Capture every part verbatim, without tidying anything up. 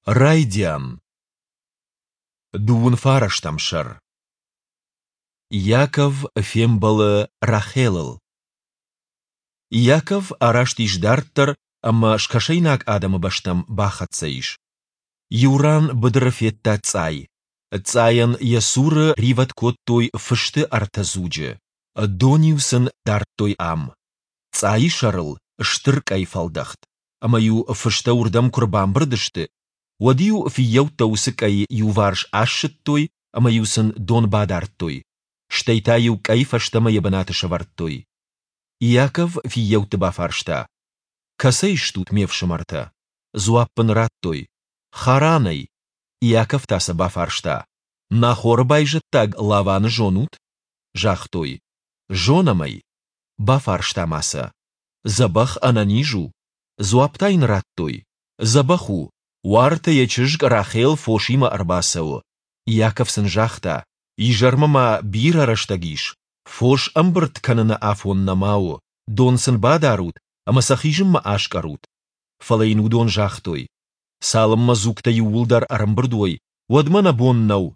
Райдиан. Дыууын фарӕстӕм сӕр. Иаков фембӕлы Рахелыл. Иаков араст ис дарддӕр ӕмӕ скӕсӕйнаг адӕмы бӕстӕм бахӕццӕ ис. Иу ран быдыры федта цъай. Цъайӕн йӕ цуры ривӕд кодтой фысты ӕртӕ дзуджы. Дон-иу сын дардтой ам. Цъайы сӕрыл стыр къӕй фӕлдӕхт, ӕмӕ-иу фыстӕ уырдӕм куы рбамбырд сты, уӕд-иу фыййӕуттӕ уыцы къӕй иуварс ассыдтой ӕмӕ-иу сын дон бадардтой, стӕй та-иу къӕй фӕстӕмӕ йӕ бынаты сӕвӕрдтой. Иаков фыййӕутты бафарста: Кӕцӕй стут, ме фсымӕртӕ? Дзуапп ын радтой: Харанӕй. Иаков та сӕ бафарста: Нахоры байзӕддаг Лаваны зонут? Загътой: Зонӕм ӕй. Бафарста ма сӕ: Дзӕбӕх ӕнӕниз у? Дзуапп та йын радтой: Дзӕбӕх у, уартӕ йӕ чызг Рахел фосимӕ ӕрбацӕуы. Иаков сын загъта: Изӕрмӕ ма бирӕ рӕстӕг ис, фос ӕмбырд кӕныны афон нӕма у, дон сын бадарут ӕмӕ сӕ хизынмӕ аскъӕрут. Фӕлӕ йын уыдон загътой: Цалынмӕ дзугтӕ иууылдӕр ӕрӕмбырд уой, уӕдмӕ нӕ бон нӕу,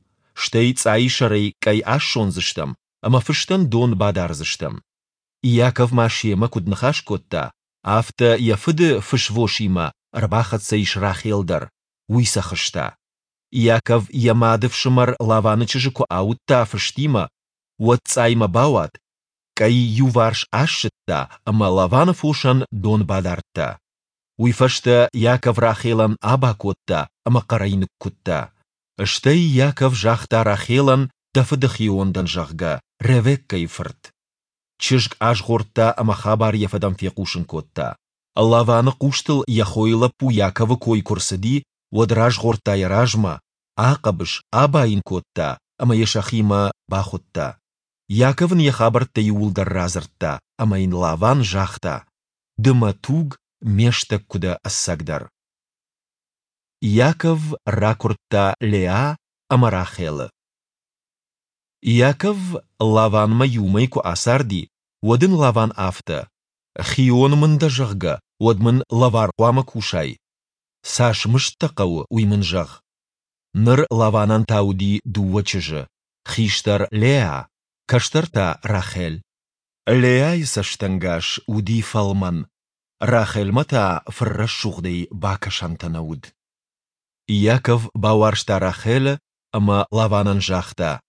стӕй цъайы сӕрӕй къӕй ассондзыстӕм ӕмӕ фыстӕн дон бадардзыстӕм. Иаков ма семӕ куыд ныхас кодта, афтӕ йӕ фыды фысвосимӕ ӕрбахӕццӕ ис Рахел дӕр, уый сӕ хызта. Иаков йӕ мады фсымӕр Лаваны чызджы куы ауыдта фыстимӕ, уӕд цъаймӕ бауад, къӕй иуварс ассыдта ӕмӕ Лаваны фосӕн дон бадардта. Уый фӕстӕ Иаков Рахелӕн аба кодта ӕмӕ хъӕрӕй ныккуыдта. Стӕй Иаков загъта Рахелӕн, дӕ фыды хион дӕн, зӕгъгӕ, Ревеккӕйы фырт. Чызг азгъордта ӕмӕ хабар йӕ фыдӕн фехъусын кодта. Лаваны хъустыл йӕ хойы лӕппу Иаковы кой куы рцыди, уӕд разгъордта йӕ размӕ, ахъӕбыс, аба йын кодта ӕмӕ йӕ сӕхимӕ бахуыдта. Иаков ын йӕ хабӕрттӕ иууылдӕр радзырдта, ӕмӕ йын Лаван загъта: Ды мӕ туг, ме стӕг куы дӕ ӕцӕгдӕр. Иаков ракуырдта Леа ӕмӕ Рахелы. Иаков Лаванмӕ иу мӕй куы ацарди, уӕд ын Лаван афтӕ: Хион мын дӕ, зӕгъгӕ, уӕд мын лӕвар хъуамӕ кусай? Цас мызд дӕ хъӕуы, уый мын зӕгъ. Ныр Лаванӕн та уыди дыууӕ чызджы, хистӕр Леа, кӕстӕр та Рахель. Леайы цӕстӕнгас уыди фӕлмӕн, Рахельмӕ та фыррӕсугъдӕй бакӕсӕнтӕ нӕ уыд. Иаков бауарзта Рахелы ӕмӕ Лаванӕн загъта: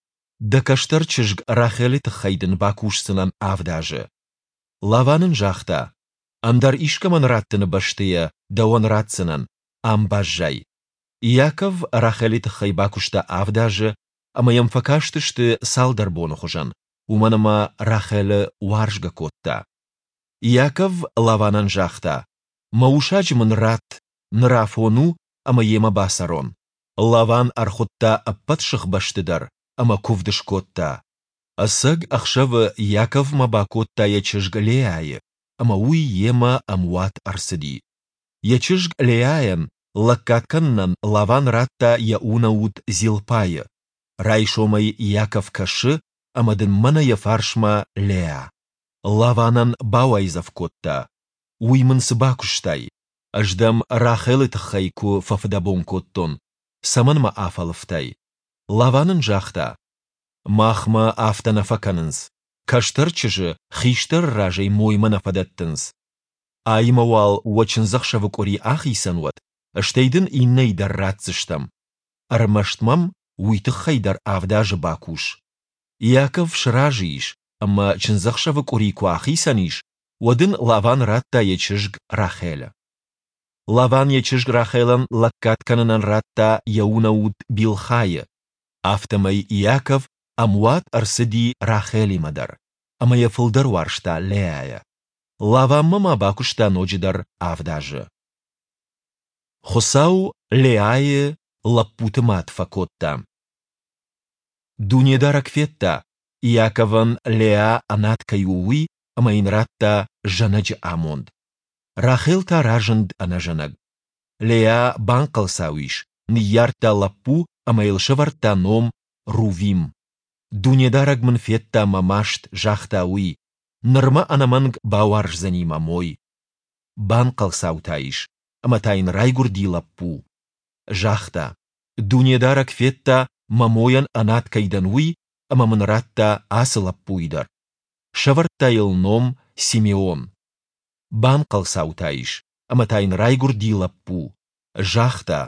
Дӕ кӕстӕр чызг Рахелы тыххӕй дын бакусдзынӕн авд азы. Лаван ын загъта: Ӕндӕр искӕмӕн раттыны бӕсты йӕ дӕуӕн ратдзынӕн, ам баззай. Иаков Рахелы тыххӕй бакуыста авд азы, ӕмӕ йӕм фӕкастысты цалдӕр боны хуызӕн, уымӕн ӕмӕ Рахелы уарзгӕ кодта. Иаков Лаванӕн загъта: Мӕ усаджы мын ратт, ныр афон у, ӕмӕ йемӕ бацӕрон. Лаван ӕрхуыдта ӕппӕт сыхбӕсты дӕр ӕмӕ куывд скодта. Ӕцӕг ӕхсӕвы Иаковмӕ бакодта йӕ чызг Леайы, ӕмӕ уый йемӕ ӕмуат ӕрцыди. Йӕ чызг Леайӕн лӕггад кӕнынӕн Лаван радта йӕ унӕут Зилпайы. Райсомӕй Иаков кӕсы, ӕмӕ дын мӕнӕ йӕ фарсмӕ Леа. Лаванӕн бауайдзӕф кодта: Уый мын цы бакуыстай? Ӕз дӕм Рахелы тыххӕй куы фӕфыдӕбон кодтон. Цӕмӕн мӕ афӕлывтай? Лаван ын загъта: Махмӕ афтӕ нӕ фӕкӕнынц. Кӕстӕр чызджы хистӕры разӕй моймӕ нӕ фӕдӕттынц. Аимӕ уал уӕ чындзӕхсӕвы къуыри ахицӕн уӕд, стӕй дын иннӕйы дӕр ратдзыстӕм. Ӕрмӕст мӕм уый тыххӕй дӕр авд азы бакус. Иаков сразы ис, ӕмӕ чындзӕхсӕвы къуыри куы ахицӕн ис, уӕд ын Лаван радта йӕ чызг Рахелы. Лаван йӕ чызг Рахелӕн лӕггад кӕнынӕн радта йӕ унӕут Билхайы. Афтӕмӕй Иаков ӕмуат ӕрцыди Рахелимӕ дӕр, ӕмӕ йӕ фылдӕр уарзта Леайӕ. Лаванмӕ ма бакуыста ноджыдӕр авд азы. Хуыцау Леайы лӕппуты мад фӕкодта. Дунедарӕг федта, Иаковӕн Леа ӕнад кӕй у, уый, ӕмӕ йын радта зӕнӕджы амонд. Рахел та разынд ӕнӕзӕнӕг. Леа банхъӕлцау ис, ныййардта лӕппу ӕмӕ йыл сӕвӕрдта ном Рувим. Дунедарӕг мын федта мӕ маст, загъта уый, ныр мӕ ӕнӕмӕнг бауарздзӕни мӕ мой. Банхъӕлцау та ис, ӕмӕ та йын райгуырди лӕппу. Загъта, Дунедарӕг федта, мӕ мойӕн ӕнад кӕй дӕн, уый, ӕмӕ мын радта ацы лӕппуйы дӕр. Сӕвӕрдта йыл ном Симеон. Банхъӕлцау та ис, ӕмӕ та йын райгуырди лӕппу. Загъта,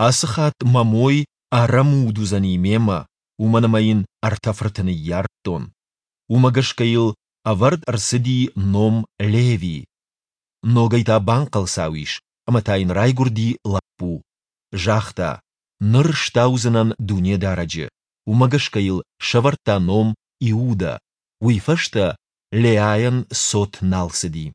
Ацы хатт мӕ мой ӕрӕмуд уыдзӕни мемӕ, уымӕн ӕмӕ йын ӕртӕ фырты ныййардтон. Уымӕ гӕсгӕ йыл ӕвӕрд ӕрцыди ном Леви. Ногӕй та банхъӕлцау ис, ӕмӕ та йын райгуырди лӕппу. Загъта, Ныр стаудзынӕн Дунедарӕджы. Уымӕ гӕсгӕ йыл сӕвӕрдта ном Иудӕ. Уый фӕстӕ Леайӕн цот нал цыди.